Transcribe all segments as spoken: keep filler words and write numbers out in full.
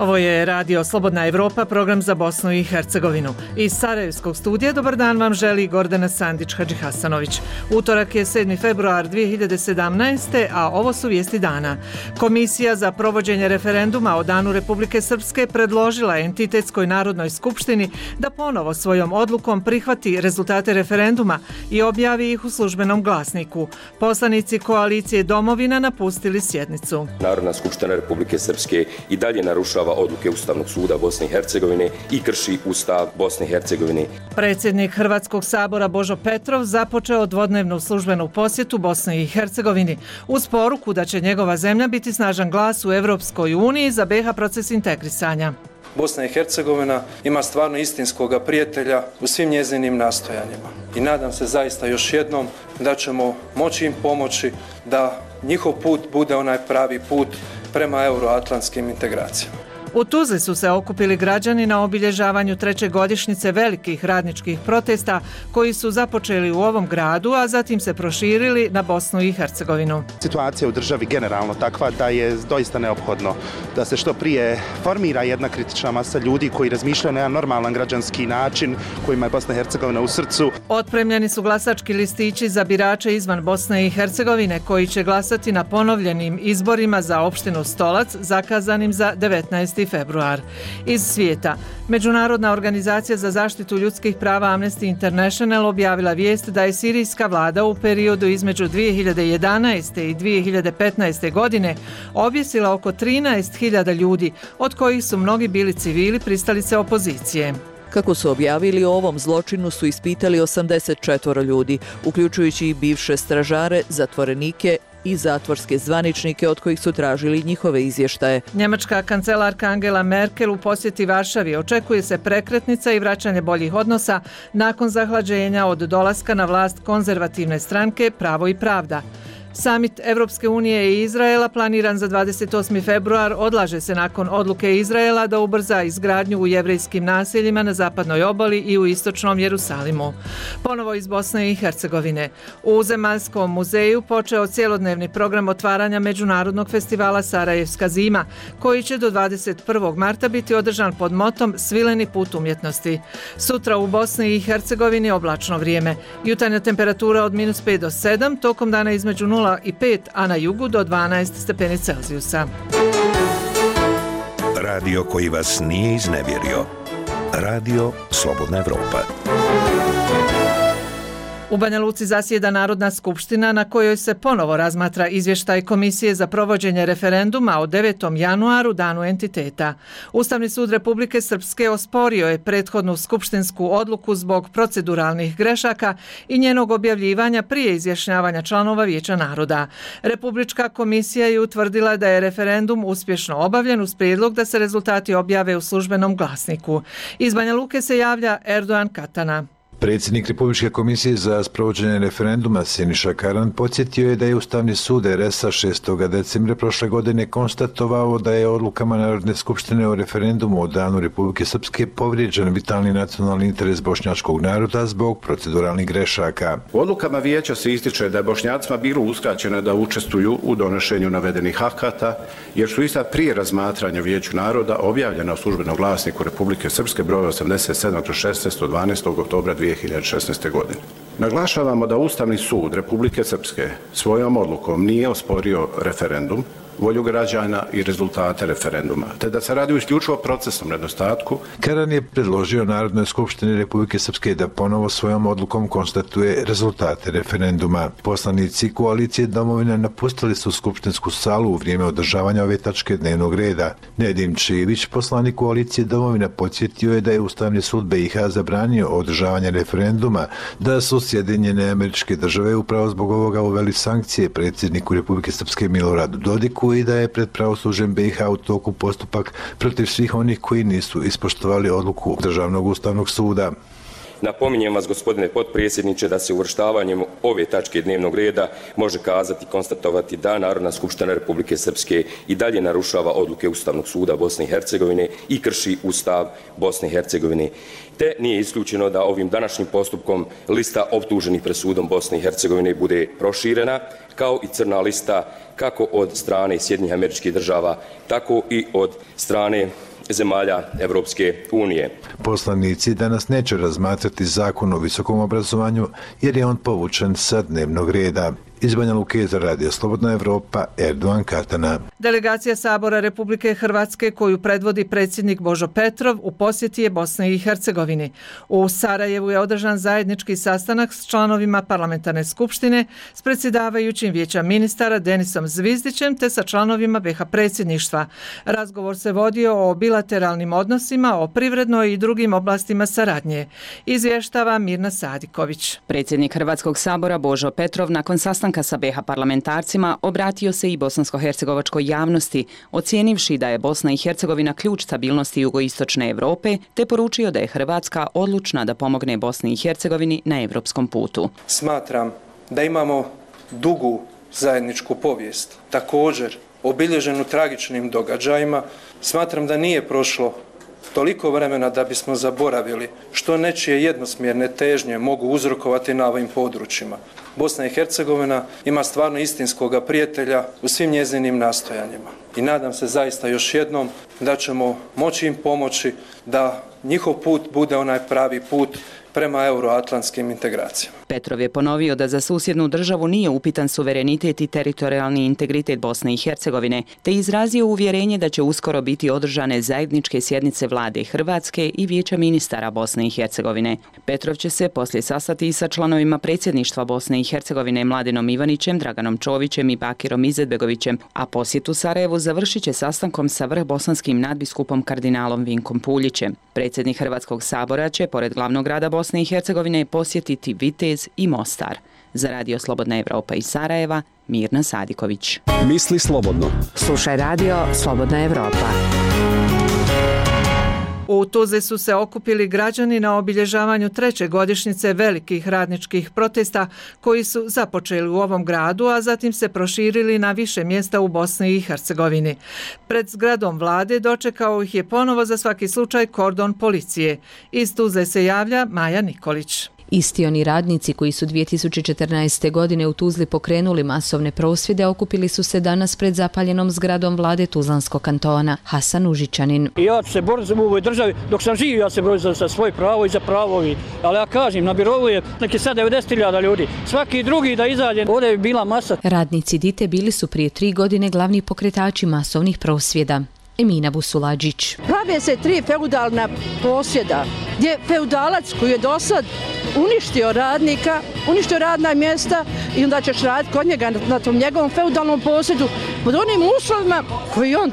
Ovo je Radio Slobodna Evropa, program za Bosnu i Hercegovinu. Iz Sarajevskog studija dobar dan vam želi Gordana Sandić-Hadžihasanović. Utorak je sedmi februar dvije hiljade sedamnaeste. a ovo su vijesti dana. Komisija za provođenje referenduma o Danu Republike Srpske predložila Entitetskoj narodnoj skupštini da ponovo svojom odlukom prihvati rezultate referenduma i objavi ih u službenom glasniku. Poslanici koalicije Domovina napustili sjednicu. Narodna skupština Republike Srpske i dalje narušava odluke Ustavnog suda Bosne i Hercegovine i krši Ustav Bosne i Hercegovine. Predsjednik Hrvatskog sabora Božo Petrov započeo dvodnevnu službenu posjetu Bosni i Hercegovini uz poruku da će njegova zemlja biti snažan glas u Evropskoj uniji za B iH proces integrisanja. Bosna i Hercegovina ima stvarno istinskog prijatelja u svim njezinim nastojanjima. I nadam se zaista još jednom da ćemo moći im pomoći da njihov put bude onaj pravi put prema euroatlantskim integracijama. U Tuzli su se okupili građani na obilježavanju treće godišnjice velikih radničkih protesta koji su započeli u ovom gradu, a zatim se proširili na Bosnu i Hercegovinu. Situacija u državi generalno takva da je doista neophodno da se što prije formira jedna kritična masa ljudi koji razmišljaju na jedan normalan građanski način kojima je Bosna i Hercegovina u srcu. Otpremljeni su glasački listići za birače izvan Bosne i Hercegovine koji će glasati na ponovljenim izborima za opštinu Stolac zakazanim za devetnaesti februar. Iz svijeta, Međunarodna organizacija za zaštitu ljudskih prava Amnesty International objavila vijest da je sirijska vlada u periodu između dvije hiljade jedanaeste. i dvije hiljade petnaeste. godine objesila oko trinaest hiljada ljudi, od kojih su mnogi bili civili pristalice opozicije. Kako su objavili, o ovom zločinu su ispitali osamdeset četvoro ljudi, uključujući i bivše stražare, zatvorenike i zatvorske zvaničnike od kojih su tražili njihove izvještaje. Njemačka kancelarka Angela Merkel u posjeti Varšavi očekuje se prekretnica i vraćanje boljih odnosa nakon zahlađenja od dolaska na vlast konzervativne stranke Pravo i pravda. Samit Evropske unije i Izraela planiran za dvadeset osmi februar odlaže se nakon odluke Izraela da ubrza izgradnju u jevrejskim naseljima na zapadnoj obali i u istočnom Jerusalimu. Ponovo iz Bosne i Hercegovine. U Zemaljskom muzeju počeo cjelodnevni program otvaranja Međunarodnog festivala Sarajevska zima, koji će do dvadeset prvog marta biti održan pod motom Svileni put umjetnosti. Sutra u Bosni i Hercegovini oblačno vrijeme. Jutarnja temperatura od minus pet do sedam, tokom dana između nula i pet, a na jugu do dvanaest stepeni Celzijusa. Radio koji vas nije iznevjerio. Radio Slobodna Evropa. U Banja Luci zasjeda Narodna skupština na kojoj se ponovo razmatra izvještaj Komisije za provođenje referenduma o devetom januaru, danu entiteta. Ustavni sud Republike Srpske osporio je prethodnu skupštinsku odluku zbog proceduralnih grešaka i njenog objavljivanja prije izjašnjavanja članova Vijeća naroda. Republička komisija je utvrdila da je referendum uspješno obavljen uz prijedlog da se rezultati objave u službenom glasniku. Iz Banja Luke se javlja Erdogan Katana. Predsjednik Republičke komisije za sprovođenje referenduma Siniša Karan podsjetio je da je Ustavni sud er es a šestog decembra prošle godine konstatovao da je odlukama Narodne skupštine o referendumu o Danu Republike Srpske povrijeđen vitalni nacionalni interes bošnjačkog naroda zbog proceduralnih grešaka. U odlukama vijeća se ističe da je Bošnjacima bilo uskraćeno da učestvuju u donošenju navedenih akata, jer su ista prije razmatranja Vijeću naroda objavljena u službenom glasniku Republike Srpske broj osamdeset sedam šesnaest od dvanaestog oktobra dvije hiljade šesnaeste. godine. Naglašavamo da Ustavni sud Republike Srpske svojom odlukom nije osporio referendum, volju građana i rezultate referenduma, te da se radi o isključivo procesnom nedostatku. Karan je predložio Narodnoj skupštini Republike Srpske da ponovo svojom odlukom konstatuje rezultate referenduma. Poslanici koalicije Domovina napustili su skupštinsku salu u vrijeme održavanja ove tačke dnevnog reda. Nedim Čivić, poslanik koalicije Domovina, podsjetio je da je Ustavni sud be i ha zabranio održavanje referenduma, da su Sjedinjene Američke Države upravo zbog ovoga uveli sankcije predsjedniku Republike Srpske Miloradu Dodiku i da je pred pravosuđem be i ha u toku postupak protiv svih onih koji nisu ispoštovali odluku Državnog ustavnog suda. Napominjem vas, gospodine potpredsjedniče, da se uvrštavanjem ove tačke dnevnog reda može kazati, konstatovati da Narodna skupština Republike Srpske i dalje narušava odluke Ustavnog suda Bosne i Hercegovine i krši Ustav Bosne i Hercegovine. Te nije isključeno da ovim današnjim postupkom lista optuženih pred sudom Bosne i Hercegovine bude proširena, kao i crna lista kako od strane Sjedinjenih Američkih Država, tako i od strane zemalja Evropske unije. Poslanici danas neće razmatrati zakon o visokom obrazovanju jer je on povučen sa dnevnog reda. Iz Banja Luke za Radio Slobodna Evropa, Erdogan Katana. Delegacija Sabora Republike Hrvatske koju predvodi predsjednik Božo Petrov u posjeti je Bosni i Hercegovini. U Sarajevu je održan zajednički sastanak s članovima parlamentarne skupštine, s predsjedavajućim vijeća ministara Denisom Zvizdićem te sa članovima B iH predsjedništva. Razgovor se vodio o bilateralnim odnosima, o privrednoj i drugim oblastima saradnje. Izvještava Mirna Sadiković. Predsjednik Hrvatskog sabora Božo Petrov nakon sastanka sa B iH parlamentarcima obratio se i bosansko-hercegovačkoj javnosti, ocijenivši da je Bosna i Hercegovina ključ stabilnosti jugoistočne Europe, te poručio da je Hrvatska odlučna da pomogne Bosni i Hercegovini na europskom putu. Smatram da imamo dugu zajedničku povijest, također obilježenu tragičnim događajima. Smatram da nije prošlo toliko vremena da bismo zaboravili što nečije jednosmjerne težnje mogu uzrokovati na ovim područjima. Bosna i Hercegovina ima stvarno istinskoga prijatelja u svim njezinim nastojanjima. I nadam se zaista još jednom da ćemo moći im pomoći da njihov put bude onaj pravi put prema euroatlantskim integracijama. Petrov je ponovio da za susjednu državu nije upitan suverenitet i teritorijalni integritet Bosne i Hercegovine, te izrazio uvjerenje da će uskoro biti održane zajedničke sjednice vlade Hrvatske i vijeća ministara Bosne i Hercegovine. Petrov će se poslije sastati i sa članovima predsjedništva Bosne i Hercegovine Mladenom Ivanićem, Draganom Čovićem i Bakirom Izetbegovićem, a posjetu Sarajevu završit će sastankom sa vrhbosanskim nadbiskupom kardinalom Vinkom Puljićem. Predsjednik Hrvatskog sabora će, pored glavnog grada Bosne i Hercegovine, posjetiti Vitez i Mostar. Za Radio Slobodna Evropa iz Sarajeva, Mirna Sadiković. Misli slobodno. Slušaj Radio Slobodna Evropa. U Tuzli su se okupili građani na obilježavanju treće godišnjice velikih radničkih protesta koji su započeli u ovom gradu, a zatim se proširili na više mjesta u Bosni i Hercegovini. Pred zgradom vlade dočekao ih je ponovo za svaki slučaj kordon policije. Iz Tuzle se javlja Maja Nikolić. Isti oni radnici koji su dvije tisuće četrnaeste. godine u Tuzli pokrenuli masovne prosvjede okupili su se danas pred zapaljenom zgradom vlade Tuzlanskog kantona. Hasan Užičanin. Ja ću se boriti u ovoj državi, dok sam živio ja se borim za, za svoje pravo i za pravo. Ali ja kažem, na birovu je neki sad devedeset hiljada ljudi. Svaki drugi da izađe, ovdje je bila masa. Radnici Dite bili su prije tri godine glavni pokretači masovnih prosvjeda. Emina Busulađić. Prave se tri feudalna posjeda gdje feudalac koji je dosad uništio radnika, uništio radna mjesta i onda ćeš raditi kod njega na tom njegovom feudalnom posjedu pod onim uslovima koji on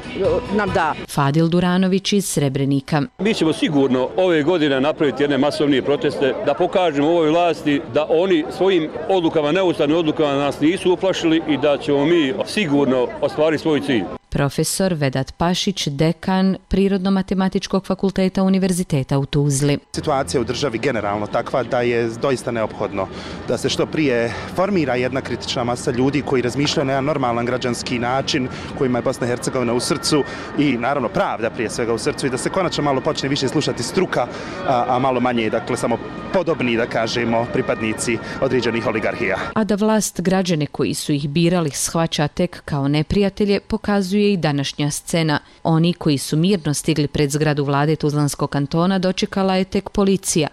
nam da. Fadil Duranović iz Srebrenika. Mi ćemo sigurno ove godine napraviti jedne masovnije proteste da pokažemo ovoj vlasti da oni svojim odlukama, neustavnim odlukama nas nisu uplašili i da ćemo mi sigurno ostvariti svoj cilj. Profesor Vedat Pašić, dekan Prirodno-matematičkog fakulteta Univerziteta u Tuzli. Situacija u državi generalno takva da je doista neophodno da se što prije formira jedna kritična masa ljudi koji razmišljaju na jedan normalan građanski način, kojima je Bosna i Hercegovina u srcu i naravno pravda prije svega u srcu i da se konačno malo počne više slušati struka, a, a malo manje, dakle, samo podobni, da kažemo, pripadnici određenih oligarhija. A da vlast građane koji su ih birali shvaća tek kao neprijatelje, pokazuje i današnja scena. Oni koji su mirno stigli pred zgradu vlade Tuzlanskog kantona dočekala je tek policija,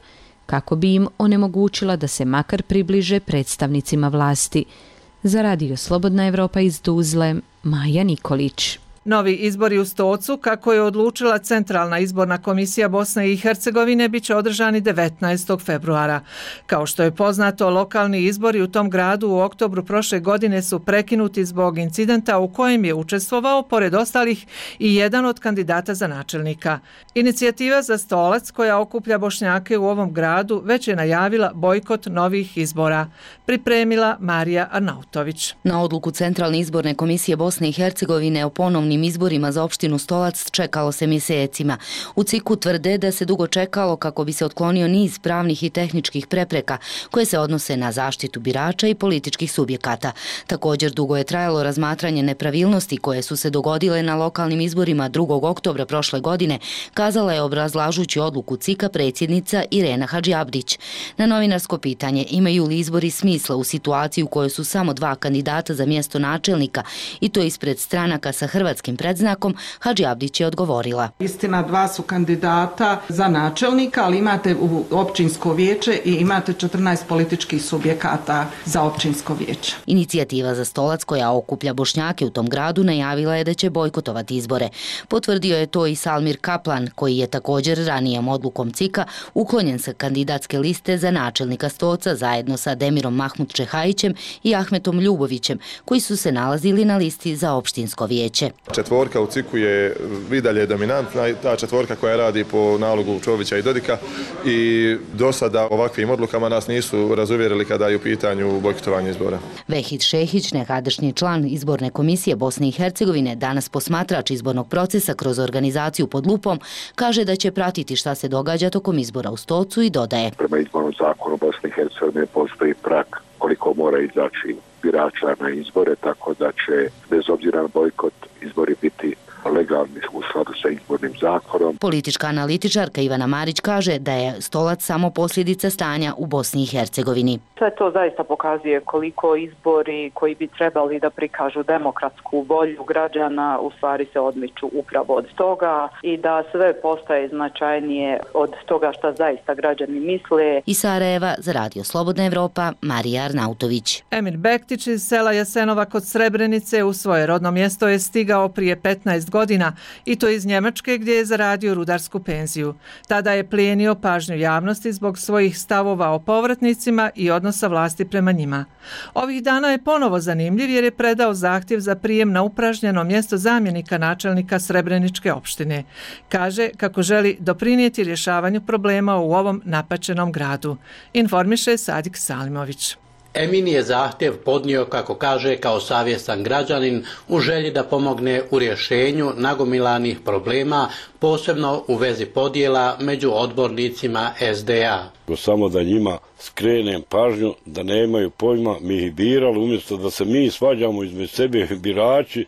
kako bi im onemogućila da se makar približe predstavnicima vlasti. Za Radio Slobodna Evropa iz Tuzle, Maja Nikolić. Novi izbori u Stocu, kako je odlučila Centralna izborna komisija Bosne i Hercegovine, bit će održani devetnaestog februara. Kao što je poznato, lokalni izbori u tom gradu u oktobru prošle godine su prekinuti zbog incidenta u kojem je učestvovao, pored ostalih, i jedan od kandidata za načelnika. Inicijativa za Stolac, koja okuplja Bošnjake u ovom gradu, već je najavila bojkot novih izbora. Pripremila Marija Arnautović. Na odluku Centralne izborne komisije Bosne i Hercegovine o ponovnim izborima za opštinu Stolac čekalo se mjesecima. U C I K-u tvrde da se dugo čekalo kako bi se otklonio niz pravnih i tehničkih prepreka koje se odnose na zaštitu birača i političkih subjekata. Također dugo je trajalo razmatranje nepravilnosti koje su se dogodile na lokalnim izborima drugog oktobra prošle godine, kazala je obrazlažući odluku C I K-a predsjednica Irena Hadžiabdić. Na novinarsko pitanje imaju li izbori smisla u situaciji u kojoj su samo dva kandidata za mjesto načelnika i to ispred stranaka sa hrvatske bosanskim predznakom, Hadži Abdić je odgovorila. Istina, dva su kandidata za načelnika, ali imate u općinsko vijeće i imate četrnaest političkih subjekata za općinsko vijeće. Inicijativa za Stolac, koja okuplja Bošnjake u tom gradu, najavila je da će bojkotovati izbore. Potvrdio je to i Salmir Kaplan, koji je također ranijom odlukom C I K-a uklonjen sa kandidatske liste za načelnika Stolca zajedno sa Demirom Mahmud Čehajićem i Ahmetom Ljubovićem, koji su se nalazili na listi za opštinsko vijeće. Četvorka u C I K-u je i dalje dominantna, ta četvorka koja radi po nalogu Čovića i Dodika, i do sada ovakvim odlukama nas nisu razuvjerili kada je u pitanju bojkotovanje izbora. Vehid Šehić, nekadašnji član izborne komisije Bosne i Hercegovine, danas posmatrač izbornog procesa kroz organizaciju pod lupom, kaže da će pratiti šta se događa tokom izbora u Stolcu i dodaje. Prema izbornom zakonu Bosne i Hercegovine postoji prag koliko mora izaći birača na izbore, tako da će bez obzira na bojkot izbori biti legalni u skladu sa izbornim zakonom. Politička analitičarka Ivana Marić kaže da je Stolac samo posljedica stanja u Bosni i Hercegovini. Sve to zaista pokazuje koliko izbori koji bi trebali da prikažu demokratsku volju građana u stvari se odmiču upravo od toga i da sve postaje značajnije od toga šta zaista građani misle. Iz Sarajeva za Radio Slobodna Evropa, Marija Arnautović. Emir Bektić iz sela Jasenova kod Srebrenice u svoje rodno mjesto je stigao prije petnaest godina i to iz Njemačke gdje je zaradio rudarsku penziju. Tada je plijenio pažnju javnosti zbog svojih stavova o povratnicima i odnosa vlasti prema njima. Ovih dana je ponovo zanimljiv jer je predao zahtjev za prijem na upražnjeno mjesto zamjenika načelnika Srebreničke opštine. Kaže kako želi doprinijeti rješavanju problema u ovom napaćenom gradu. Informiše Sadik Salimović. Emin je zahtjev podnio, kako kaže, kao savjestan građanin u želji da pomogne u rješenju nagomilanih problema, posebno u vezi podjela među odbornicima S D A. Samo da njima skrenem pažnju da nemaju pojma, mi ih birali, umjesto da se mi svađamo između sebe birači,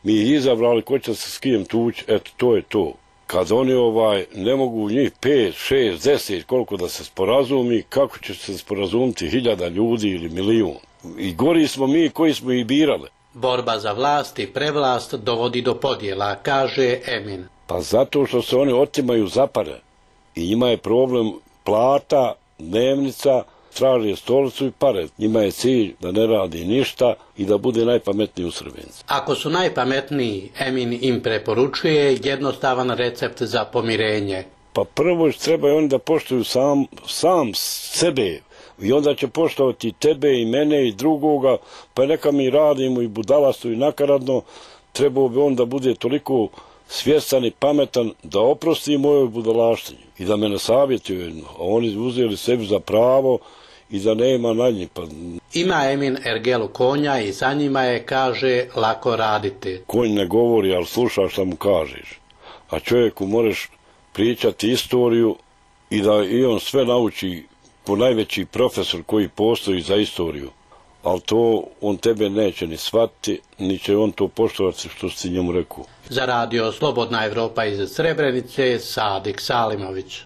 mi ih izabrali ko će se s kim tući, eto to je to. Kad oni ovaj ne mogu njih pet, šest, deset, koliko da se sporazumi, kako će se sporazumiti hiljada ljudi ili milijun. I gori smo mi koji smo ih birali. Borba za vlast i prevlast dovodi do podjela, kaže Emin. Pa zato što se oni otimaju za pare. I njima je problem plata, dnevnica, traže stolicu i pare. Njima je cilj da ne radi ništa i da bude najpametniji u Srebrenici. Ako su najpametniji, Emin im preporučuje jednostavan recept za pomirenje. Pa prvo trebaju oni da poštuju sam, sam sebe i onda će poštovati tebe i mene i drugoga, pa neka mi radimo i budalasto i nakaradno, trebao bi on da bude toliko svjestan i pametan da oprosti mojoj budalaštini i da me ne savjetuju. Oni uzeli sebi za pravo i da nema na njih. Pa... Ima Emin ergelu konja i za njima je, kaže, lako raditi. Konj ne govori, ali sluša šta mu kažeš. A čovjeku moraš pričati istoriju i da i on sve nauči ko najveći profesor koji postoji za istoriju. Ali to on tebe neće ni shvatiti, ni će on to poštovati što si njemu rekao. Za Radio Slobodna Evropa iz Srebrenice, Sadik Salimović.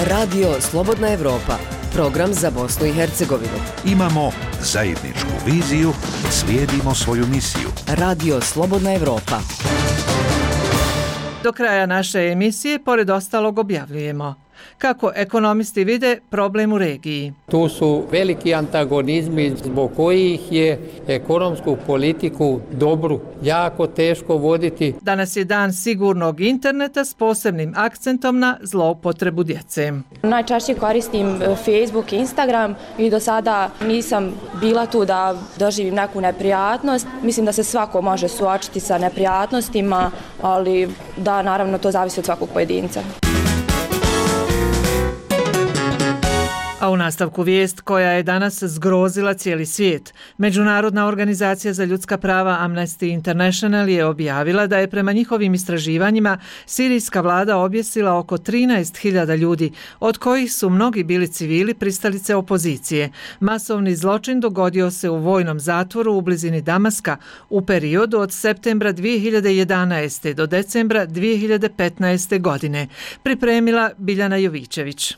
Radio Slobodna Evropa, program za Bosnu i Hercegovinu. Imamo zajedničku viziju, slijedimo svoju misiju. Radio Slobodna Evropa. Do kraja naše emisije, pored ostalog, objavljujemo kako ekonomisti vide problem u regiji. Tu su veliki antagonizmi zbog kojih je ekonomsku politiku dobru jako teško voditi. Danas je dan sigurnog interneta s posebnim akcentom na zloupotrebu djece. Najčešće koristim Facebook i Instagram i do sada nisam bila tu da doživim neku neprijatnost. Mislim da se svako može suočiti sa neprijatnostima, ali da, naravno, to zavisi od svakog pojedinca. A u nastavku vijest koja je danas zgrozila cijeli svijet. Međunarodna organizacija za ljudska prava Amnesty International je objavila da je prema njihovim istraživanjima sirijska vlada objesila oko trinaest hiljada ljudi, od kojih su mnogi bili civili pristalice opozicije. Masovni zločin dogodio se u vojnom zatvoru u blizini Damaska u periodu od septembra dvije hiljade jedanaeste. do decembra dvije hiljade petnaeste. godine. Pripremila Biljana Jovićević.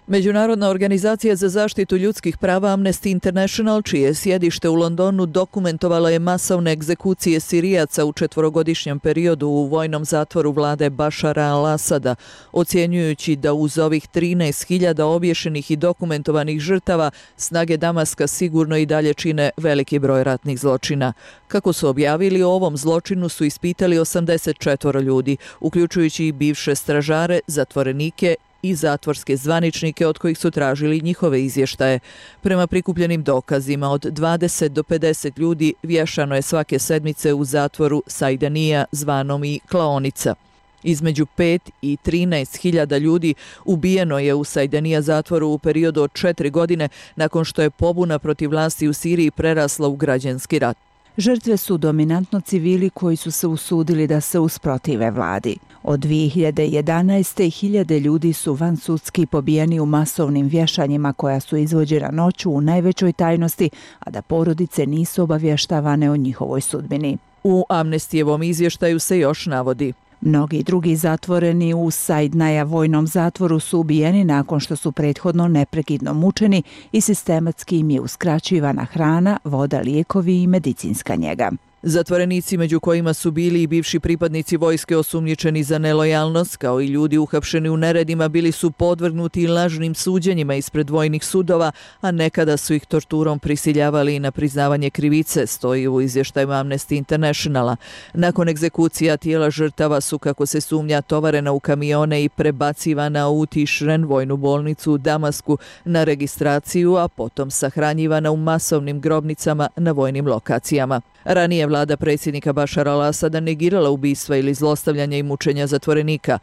Međunarodna organizacija za zaštitu ljudskih prava Amnesty International, čije sjedište u Londonu, dokumentovala je masovne egzekucije Sirijaca u četvorogodišnjem periodu u vojnom zatvoru vlade Bašara al-Asada, ocjenjujući da uz ovih trinaest hiljada obješenih i dokumentovanih žrtava snage Damaska sigurno i dalje čine veliki broj ratnih zločina. Kako su objavili, o ovom zločinu su ispitali osamdeset četiri ljudi, uključujući i bivše stražare, zatvorenike i zatvorske zvaničnike od kojih su tražili njihove izvještaje. Prema prikupljenim dokazima, od dvadeset do pedeset ljudi vješano je svake sedmice u zatvoru Sajdanija, zvanom i Klaonica. Između pet i trinaest hiljada ljudi ubijeno je u Sajdanija zatvoru u periodu od četiri godine nakon što je pobuna protiv vlasti u Siriji prerasla u građanski rat. Žrtve su dominantno civili koji su se usudili da se usprotive vladi. Od dvije hiljade jedanaeste. hiljade ljudi su vansudski pobijeni u masovnim vješanjima koja su izvođena noću u najvećoj tajnosti, a da porodice nisu obavještavane o njihovoj sudbini. U Amnestijevom izvještaju se još navodi: mnogi drugi zatvoreni u Sajdnaja vojnom zatvoru su ubijeni nakon što su prethodno neprekidno mučeni i sistematski im je uskraćivana hrana, voda, lijekovi i medicinska njega. Zatvorenici, među kojima su bili i bivši pripadnici vojske osumnjičeni za nelojalnost, kao i ljudi uhapšeni u neredima, bili su podvrgnuti lažnim suđenjima ispred vojnih sudova, a nekada su ih torturom prisiljavali na priznavanje krivice, stoji u izvještaju Amnesty Internationala. Nakon egzekucija tijela žrtava su, kako se sumnja, tovarena u kamione i prebacivana u Tišren, vojnu bolnicu u Damasku, na registraciju, a potom sahranjivana u masovnim grobnicama na vojnim lokacijama. Ranije vlada predsjednika Bašara al-Asada negirala ubistva ili zlostavljanja i mučenja zatvorenika.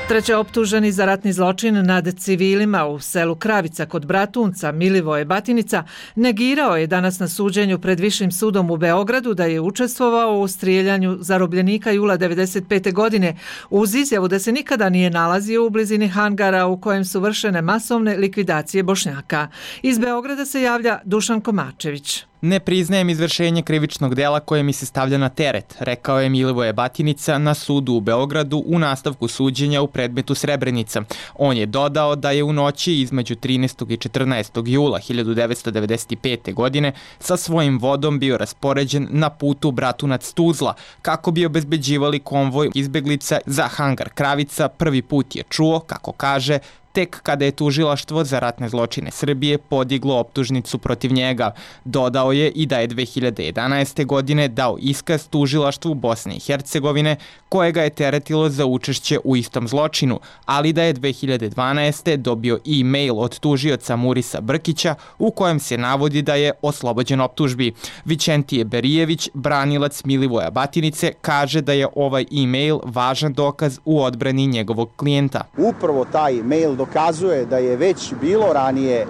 Treće optuženi za ratni zločin nad civilima u selu Kravica kod Bratunca, Milivoje Batinica, negirao je danas na suđenju pred Višim sudom u Beogradu da je učestvovao u strijeljanju zarobljenika jula devedeset pete. godine uz izjavu da se nikada nije nalazio u blizini hangara u kojem su vršene masovne likvidacije Bošnjaka. Iz Beograda se javlja Dušan Komačević. Ne priznajem izvršenje krivičnog dela koje mi se stavlja na teret, rekao je Milivoje Batinica na sudu u Beogradu u nastavku suđenja u predmetu Srebrenica. On je dodao da je u noći između trinaestog i četrnaestog jula hiljadu devetsto devedeset pete. godine sa svojim vodom bio raspoređen na putu Bratunac-Tuzla kako bi obezbeđivali konvoj izbeglica za hangar Kravica. Prvi put je čuo, kako kaže, tek kada je tužilaštvo za ratne zločine Srbije podiglo optužnicu protiv njega. Dodao je i da je dve hiljade jedanaeste. godine dao iskaz tužilaštvu Bosne i Hercegovine koje ga je teretilo za učešće u istom zločinu, ali da je dve hiljade dvanaeste. dobio e-mail od tužioca Murisa Brkića u kojem se navodi da je oslobođen optužbi. Vičentije Berijević, branilac Milivoja Batinice, kaže da je ovaj e-mail važan dokaz u odbrani njegovog klijenta. Upravo taj mail dokazuje da je već bilo ranije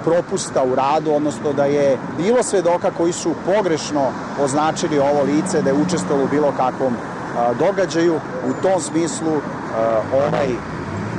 propusta u radu, odnosno da je bilo svedoka koji su pogrešno označili ovo lice da je učestvovalo u bilo kakvom događaju. U tom smislu ovaj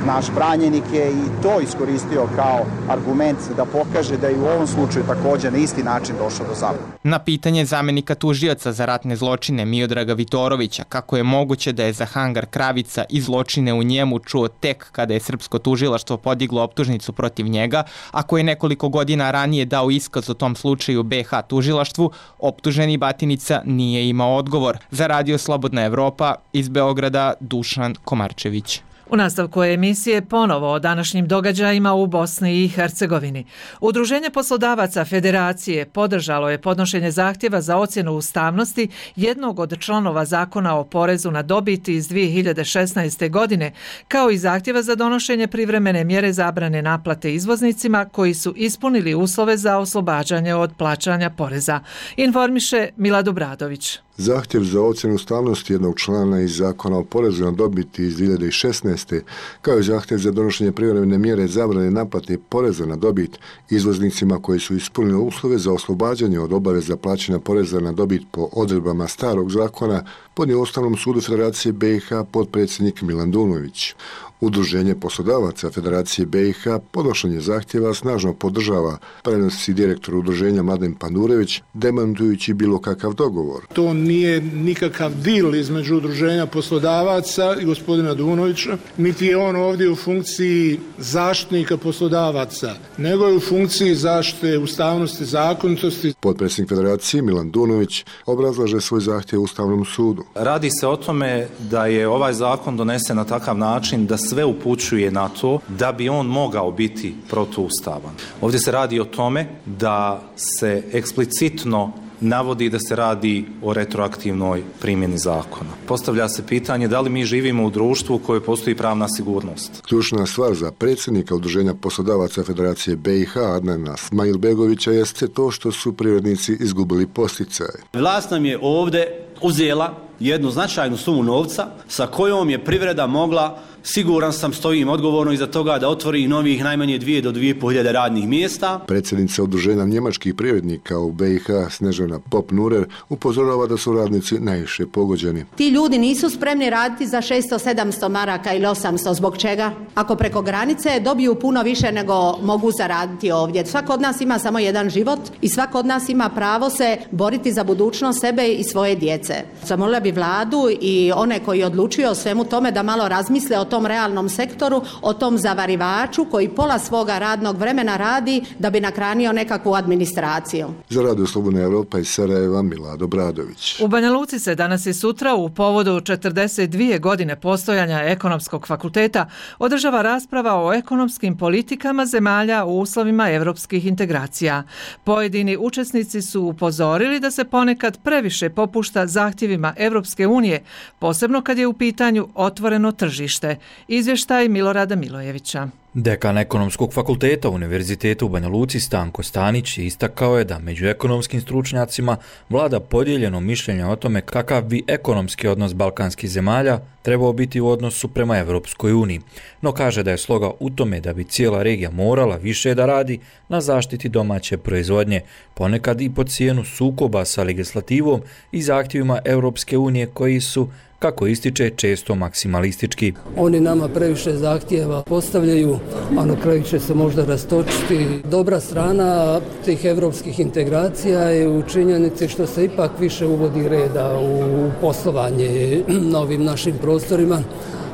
naš branjenik je i to iskoristio kao argument da pokaže da je u ovom slučaju također na isti način došao do zabune. Na pitanje zamenika tužioca za ratne zločine Miodraga Vitorovića kako je moguće da je za hangar Kravica i zločine u njemu čuo tek kada je srpsko tužilaštvo podiglo optužnicu protiv njega, a koji je nekoliko godina ranije dao iskaz o tom slučaju be ha tužilaštvu, optuženi Batinica nije imao odgovor. Za Radio Slobodna Evropa iz Beograda, Dušan Komarčević. U nastavku emisije ponovo o današnjim događajima u Bosni i Hercegovini. Udruženje poslodavaca Federacije podržalo je podnošenje zahtjeva za ocjenu ustavnosti jednog od članova zakona o porezu na dobit iz dvije hiljade šesnaeste. godine, kao i zahtjeva za donošenje privremene mjere zabrane naplate izvoznicima koji su ispunili uslove za oslobađanje od plaćanja poreza. Informiše Milad Obradović. Zahtjev za ocjenu ustavnosti jednog člana iz zakona o porezu na dobit iz dvije hiljade šesnaeste. kao i zahtjev za donošenje privremene mjere zabrane naplate poreza na dobit izvoznicima koji su ispunili uslove za oslobađanje od obaveza plaćanja poreza na dobit po odredbama starog zakona podnio Ustavnom sudu Federacije be i ha potpredsjednik Milan Dunović. Udruženje poslodavaca Federacije B i H podnošenje zahtjeva snažno podržava, prenosi direktor udruženja Mladen Pandurević, demantujući bilo kakav dogovor. To nije nikakav dil između udruženja poslodavaca i gospodina Dunovića, niti je on ovdje u funkciji zaštitnika poslodavaca, nego je u funkciji zaštite ustavnosti, zakonitosti. Potpredsjednik Federacije Milan Dunović obrazlaže svoj zahtjev Ustavnom sudu. Radi se o tome da je ovaj zakon donesen na takav način da sve upućuje na to da bi on mogao biti protuustavan. Ovdje se radi o tome da se eksplicitno navodi da se radi o retroaktivnoj primjeni zakona. Postavlja se pitanje da li mi živimo u društvu u kojoj postoji pravna sigurnost. Ključna stvar za predsjednika Udruženja poslodavaca Federacije B i H Adnana Smajilbegovića jeste to što su privrednici izgubili posticaje. Vlast nam je ovdje uzela jednu značajnu sumu novca sa kojom je privreda mogla, siguran sam, stojim odgovorno iza toga, da otvori novih najmanje dvije do dvije i pol hiljade radnih mjesta. Predsjednica Udruženja njemačkih privrednika u B i H Snežana Pop-Nurer upozorava da su radnici najviše pogođeni. Ti ljudi nisu spremni raditi za šesto sedamsto maraka ili osamsto. Zbog čega? Ako preko granice dobiju puno više nego mogu zaraditi ovdje. Svako od nas ima samo jedan život i svako od nas ima pravo se boriti za budućnost sebe i svoje djece. Zamolila bi vladu i one koji odlučuju o svemu tome da malo razmisle o tom realnom sektoru, o tom zavarivaču koji pola svoga radnog vremena radi da bi nakranio nekakvu administraciju. Za Radio Slobodna Evropa iz Sarajeva Milado Bradović. U Banja Luci se danas i sutra u povodu četrdeset dvije godine postojanja Ekonomskog fakulteta održava rasprava o ekonomskim politikama zemalja u uslovima evropskih integracija. Pojedini učesnici su upozorili da se ponekad previše popušta zahtjevima Evropske unije, posebno kad je u pitanju otvoreno tržište. Izvještaj Milorada Milojevića. Dekan Ekonomskog fakulteta Univerziteta u Banja Luci Stanko Stanić istakao je da među ekonomskim stručnjacima vlada podijeljeno mišljenje o tome kakav bi ekonomski odnos balkanskih zemalja trebao biti u odnosu prema Evropskoj uniji, no kaže da je sloga u tome da bi cijela regija morala više da radi na zaštiti domaće proizvodnje, ponekad i po cijenu sukoba sa legislativom i zahtjevima Evropske unije koji su, kako ističe, često maksimalistički. Oni nama previše zahtjeva postavljaju, a na kraju će se možda rastočiti. Dobra strana tih evropskih integracija je u činjenici što se ipak više uvodi reda u poslovanje na ovim našim prostorima,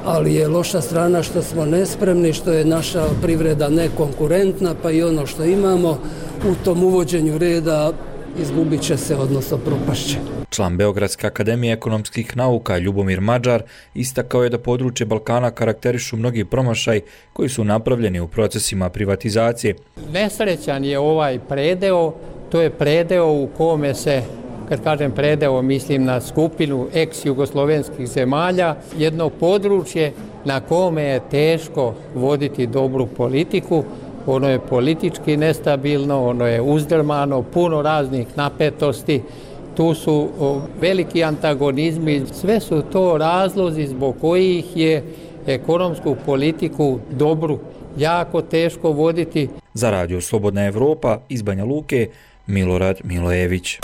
ali je loša strana što smo nespremni, što je naša privreda nekonkurentna, pa i ono što imamo u tom uvođenju reda izgubit će se, odnosno propašće. Član Beogradske akademije ekonomskih nauka Ljubomir Mađar istakao je da područje Balkana karakterišu mnogi promašaj koji su napravljeni u procesima privatizacije. Nesrećan je ovaj predeo, to je predeo u kome se, kad kažem predeo, mislim na skupinu ex-jugoslovenskih zemalja, jedno područje na kome je teško voditi dobru politiku. Ono je politički nestabilno, ono je uzdrmano, puno raznih napetosti, tu su veliki antagonizmi, sve su to razlozi zbog kojih je ekonomsku politiku dobru jako teško voditi. Za Radio Slobodna Evropa iz Banja Luke, Milorad Milojević.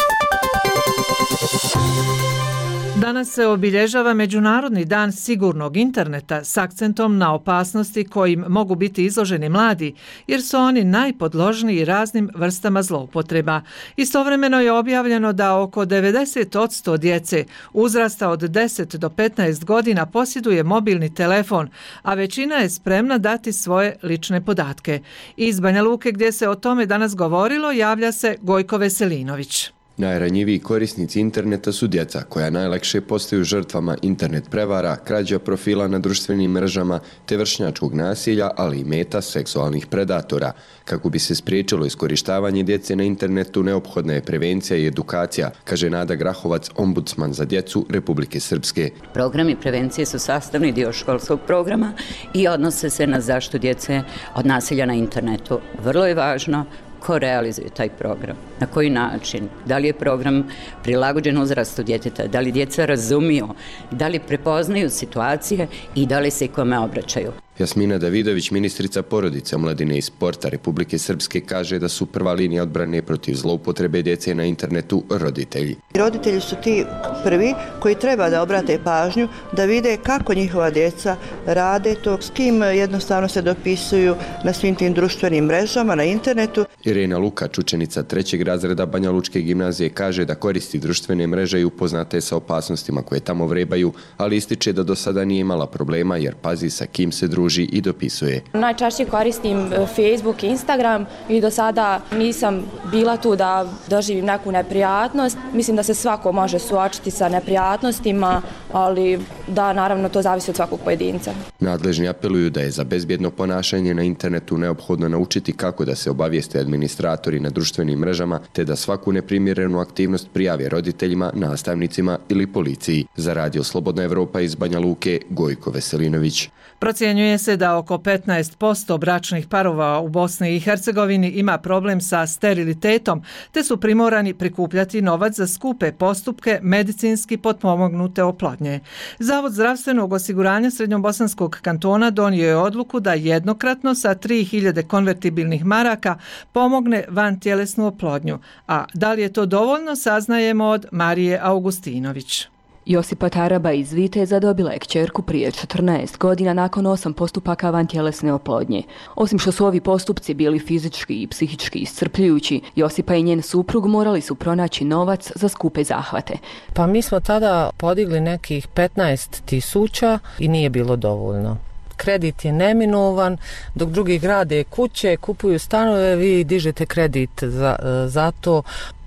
Danas se obilježava Međunarodni dan sigurnog interneta s akcentom na opasnosti kojim mogu biti izloženi mladi, jer su oni najpodložniji raznim vrstama zloupotreba. Istovremeno je objavljeno da oko devedeset posto djece uzrasta od deset do petnaest godina posjeduje mobilni telefon, a većina je spremna dati svoje lične podatke. Iz Banja Luke, gdje se o tome danas govorilo, javlja se Gojko Veselinović. Najranjiviji korisnici interneta su djeca, koja najlakše postaju žrtvama internet prevara, krađa profila na društvenim mrežama te vršnjačkog nasilja, ali i meta seksualnih predatora. Kako bi se spriječilo iskorištavanje djece na internetu, neophodna je prevencija i edukacija, kaže Nada Grahovac, ombudsman za djecu Republike Srpske. Programi prevencije su sastavni dio školskog programa i odnose se na zaštitu djece od nasilja na internetu. Vrlo je važno ko realizuje taj program, na koji način, da li je program prilagođen uzrastu djeteta, da li djeca razumiju, da li prepoznaju situacije i da li se kome obraćaju. Jasmina Davidović, ministrica porodice, omladine i sporta Republike Srpske, kaže da su prva linija odbrane protiv zloupotrebe djece na internetu roditelji. Roditelji su ti prvi koji treba da obrate pažnju, da vide kako njihova djeca rade to, s kim jednostavno se dopisuju na svim tim društvenim mrežama, na internetu. Irena Lukač, učenica trećeg razreda Banja Lučke gimnazije, kaže da koristi društvene mreže i upoznate sa opasnostima koje tamo vrebaju, ali ističe da do sada nije imala problema jer pazi sa kim se druži i dopisuje. Najčešće koristim Facebook i Instagram i do sada nisam bila tu da doživim neku neprijatnost. Mislim da se svako može suočiti sa neprijatnostima, ali da naravno to zavisi od svakog pojedinca. Nadležni apeluju da je za bezbjedno ponašanje na internetu neophodno naučiti kako da se obavijeste administratori na društvenim mrežama, te da svaku neprimjerenu aktivnost prijave roditeljima, nastavnicima ili policiji. Za Radio Slobodna Evropa iz Banja Luke, Gojko Veselinović. Procjenjuje se da oko petnaest posto bračnih parova u Bosni i Hercegovini ima problem sa sterilitetom, te su primorani prikupljati novac za skupe postupke medicinski potpomognute oplodnje. Zavod zdravstvenog osiguranja Srednjobosanskog kantona donio je odluku da jednokratno sa tri hiljade konvertibilnih maraka pomogne vantjelesnu oplodnju. A da li je to dovoljno, saznajemo od Marije Augustinović. Josipa Taraba iz Viteza dobila je kćerku prije četrnaest godina nakon osam postupaka vantjelesne oplodnje. Osim što su ovi postupci bili fizički i psihički iscrpljujući, Josipa i njen suprug morali su pronaći novac za skupe zahvate. Pa mi smo tada podigli nekih petnaest tisuća i nije bilo dovoljno. Kredit je neminovan, dok drugi grade kuće, kupuju stanove, vi dižete kredit za, za to.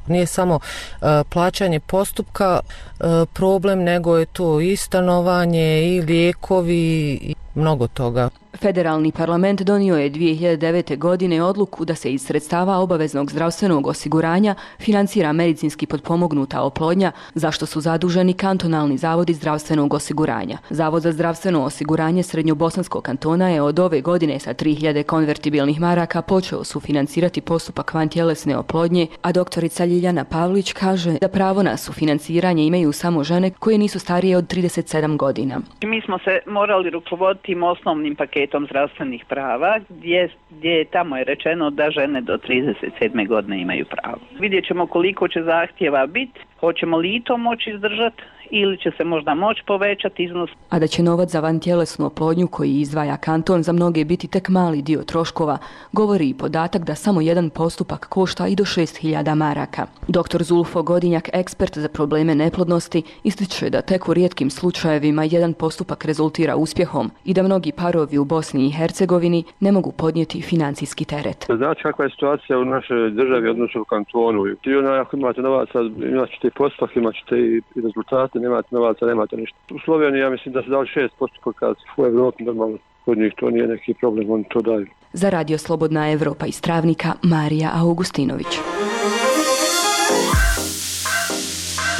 Nije samo uh, plaćanje postupka uh, problem, nego je to i stanovanje i lijekovi i mnogo toga. Federalni parlament donio je dvije hiljade devete. godine odluku da se iz sredstava obaveznog zdravstvenog osiguranja financira medicinski potpomognuta oplodnja, za što su zaduženi kantonalni zavodi zdravstvenog osiguranja. Zavod za zdravstveno osiguranje Srednjobosanskog kantona je od ove godine sa tri hiljade konvertibilnih maraka počeo sufinancirati postupak vantjelesne oplodnje, a doktorica Ljiljana Pavlić kaže da pravo na sufinanciranje imaju samo žene koje nisu starije od trideset sedam godina. Mi smo se morali rukovoditi tim osnovnim paketom zdravstvenih prava, gdje, gdje tamo je rečeno da žene do trideset sedme godine imaju pravo. Vidjet ćemo koliko će zahtjeva biti, hoćemo li i to moći izdržati ili će se možda moći povećati iznos. A da će novac za vantjelesnu oplodnju koji izdvaja kanton za mnoge biti tek mali dio troškova, govori i podatak da samo jedan postupak košta i do šest hiljada maraka. Doktor Zulfo Godinjak, ekspert za probleme neplodnosti, ističe da tek u rijetkim slučajevima jedan postupak rezultira uspjehom i da mnogi parovi u Bosni i Hercegovini ne mogu podnijeti financijski teret. Znači kakva je situacija u našoj državi, odnosno u kantonu. I ona, ako imate novaca, imat ćete i postupak, imat ćete i rezultate, nemate novaca, nemate ništa. U Sloveniji ja mislim da se dali šest postupaka, u Evropi normalno kod njih to nije neki problem, oni to daju. Za Radio Slobodna Evropa iz Travnika, Marija Augustinović.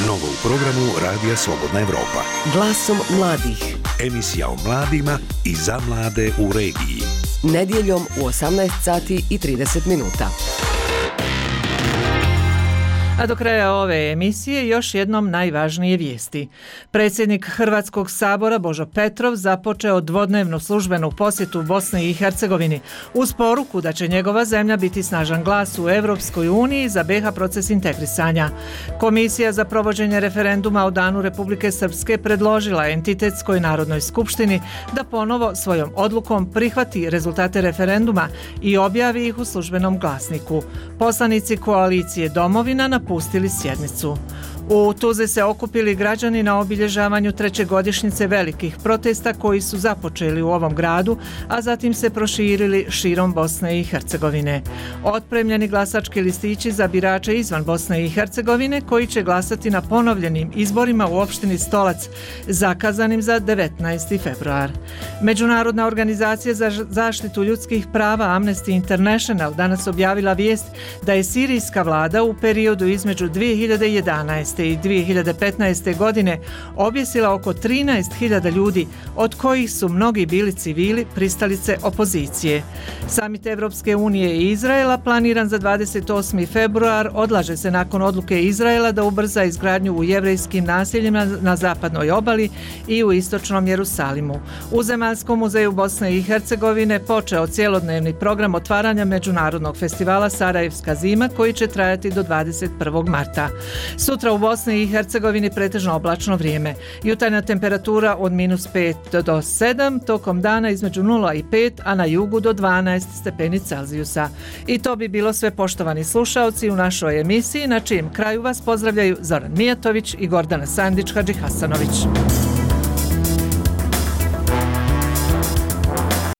Novo u programu Radija Slobodna Evropa. Glasom mladih. Emisija o mladima i za mlade u regiji. Nedjeljom u osamnaest sati i trideset minuta. A do kraja ove emisije još jednom najvažnije vijesti. Predsjednik Hrvatskog sabora Božo Petrov započeo dvodnevnu službenu posjetu Bosni i Hercegovini uz poruku da će njegova zemlja biti snažan glas u Europskoj uniji za be ha proces integrisanja. Komisija za provođenje referenduma o danu Republike Srpske predložila entitetskoj Narodnoj skupštini da ponovo svojom odlukom prihvati rezultate referenduma i objavi ih u službenom glasniku. Poslanici koalicije Domovina napustili sjednicu. U Tuzli se okupili građani na obilježavanju treće godišnjice velikih protesta koji su započeli u ovom gradu, a zatim se proširili širom Bosne i Hercegovine. Otpremljeni glasački listići za birače izvan Bosne i Hercegovine koji će glasati na ponovljenim izborima u opštini Stolac, zakazanim za devetnaesti februar. Međunarodna organizacija za zaštitu ljudskih prava Amnesty International danas objavila vijest da je sirijska vlada u periodu između dvije hiljade jedanaeste četrnaeste. i dvije hiljade petnaeste. godine objesila oko trinaest hiljada ljudi, od kojih su mnogi bili civili, pristalice opozicije. Samit Evropske unije i Izraela planiran za dvadeset osmi februar odlaže se nakon odluke Izraela da ubrza izgradnju u jevrejskim naseljima na zapadnoj obali i u istočnom Jerusalimu. U Zemaljskom muzeju Bosne i Hercegovine počeo cjelodnevni program otvaranja Međunarodnog festivala Sarajevska zima koji će trajati do dvadeset prvog marta. Sutra u Bosni i Hercegovini pretežno oblačno vrijeme. Jutarnja temperatura od minus pet do sedam, tokom dana između nula i pet, a na jugu do dvanaest stepeni Celzijusa. I to bi bilo sve, poštovani slušaoci, u našoj emisiji, na čijem kraju vas pozdravljaju Zoran Mijatović i Gordana Sandić-Hadžihasanović.